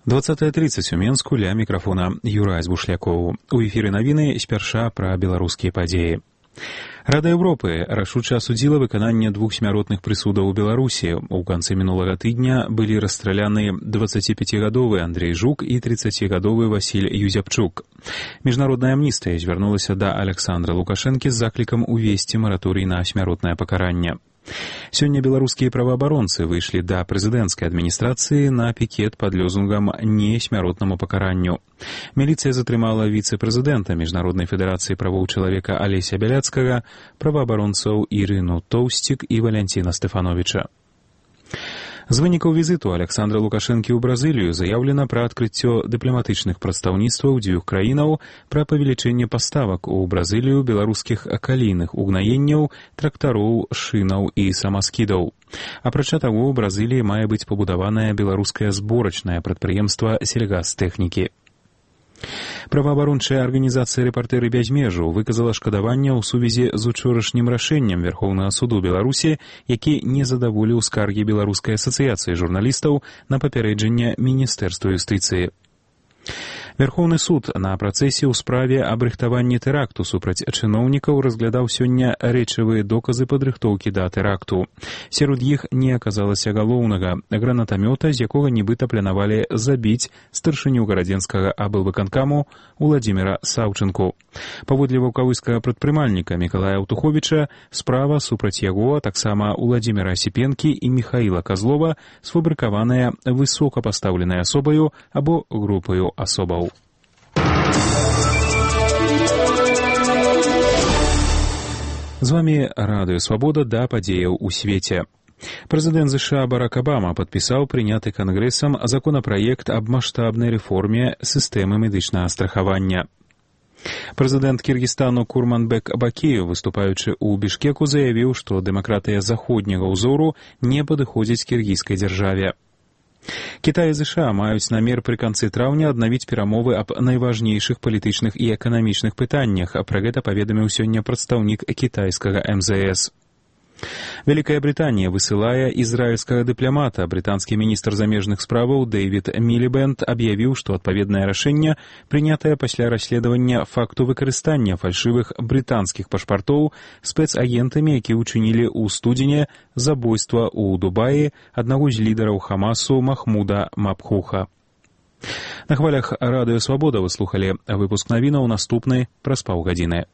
20:30 у Менску, ля мікрафона Юрай Збушлякоў. У эфіры навіны спярша пра беларускія падзеі. Рада Европы рашуча асудзіла выкананне 2 смяротных прысудаў у Беларусі. У канцы мінулага тыдня былі расстраляны 25-гадовы Андрей Жук і 30-гадовы Васіль Юзяпчук. Міжнародная амністыя звярнулася да Александра Лукашэнкі з заклікам увесці мараторый на смяротнае пакаранне. Сёння беларускія праваабаронцы выйшлі да прэзідэнцкай адміністрацыі на пікет пад лёзунгам «Не смяротнаму пакаранню». Міліцыя затрымала віцэ-прэзідэнта Міжнароднай федэрацыі правоў чалавека Алеся Бяляцкага, праваабаронцаў Ірыну Тоўсцік і Валянціна Стэфановіча. З вынікаў візіту Александра Лукашэнкі ў Бразылію заяўлена пра адкрыццё дыпламатычных прадстаўніцтваў 2 краінаў, пра павелічэнне паставак у Бразылію беларускіх калійных угнаенняў, трактароў, шынаў і самаскідаў. Апрача таго, у Бразыліі мае быць пабудаванае беларускае зборачнае прадпрыемства сельгастэхнікі. Праваабарончая арганізацыя «Рэпартэры без межаў» выказала шкадаванне ў сувязі з учорашнім рашэннем Верхоўнага суду Беларусі, які не задаволіў скаргі Беларускай асацыяцыі журналістаў на папярэджанне Міністэрства юстыцыі. Верхоўны суд на працэсе ў справе аб рыхтаванні тэракту супраць чыноўнікаў разглядаў сёння рэчавыя доказы падрыхтоўкі да тэракту. Сярод іх не аказалася галоўнага — гранатамёта, з якога нібыта планавалі забіць старшыню гарадзенскага аблвыканкаму Уладзіміра Саўчынку. Паводле ваўкавыскага прадпрымальніка Мікалая Аўтуховіча, справа супраць яго, таксама Уладзіміра Асіпенкі і Міхаіла Казлова, сфабрыкаваная высокапастаўленай асобаю або групаю асобаў. З вами Радыё Свабода, да падзеяў у свеце. Прэзідэнт США Барак Абама падпісаў прыняты кангрэсам законапраект аб маштабнай рэформе сістэмы медычнага страхавання. Прэзідэнт Кіргізстану Курманбек Бакеев, выступаючы ў Бішкеку, заявіў, што дэмакратыя заходняга ўзору не падыходзіць кіргізскай дзяржаве. Кітай і ЗША маюць намер пры канцы траўня аднавіць перамовы аб найважнейшых палітычных і эканамічных пытаннях, а пра гэта паведаміў сёння прадстаўнік кітайскага МЗС. Вялікая Брытанія высылае ізраільскага дыпламата. Брытанскі міністр замежных справаў Дэвід Мілібэнд аб'явіў, што адпаведнае рашэнне прынятае пасля расследавання факту выкарыстання фальшывых брытанскіх пашпартоў спецагентамі, які ўчынілі ў студзені забойства ў Дубаі аднаго з лідараў Хамасу Махмуда Мабхуха. На хвалях Радыё Свабода вы слухалі выпуск навінаў, наступны праз паўгадзіны.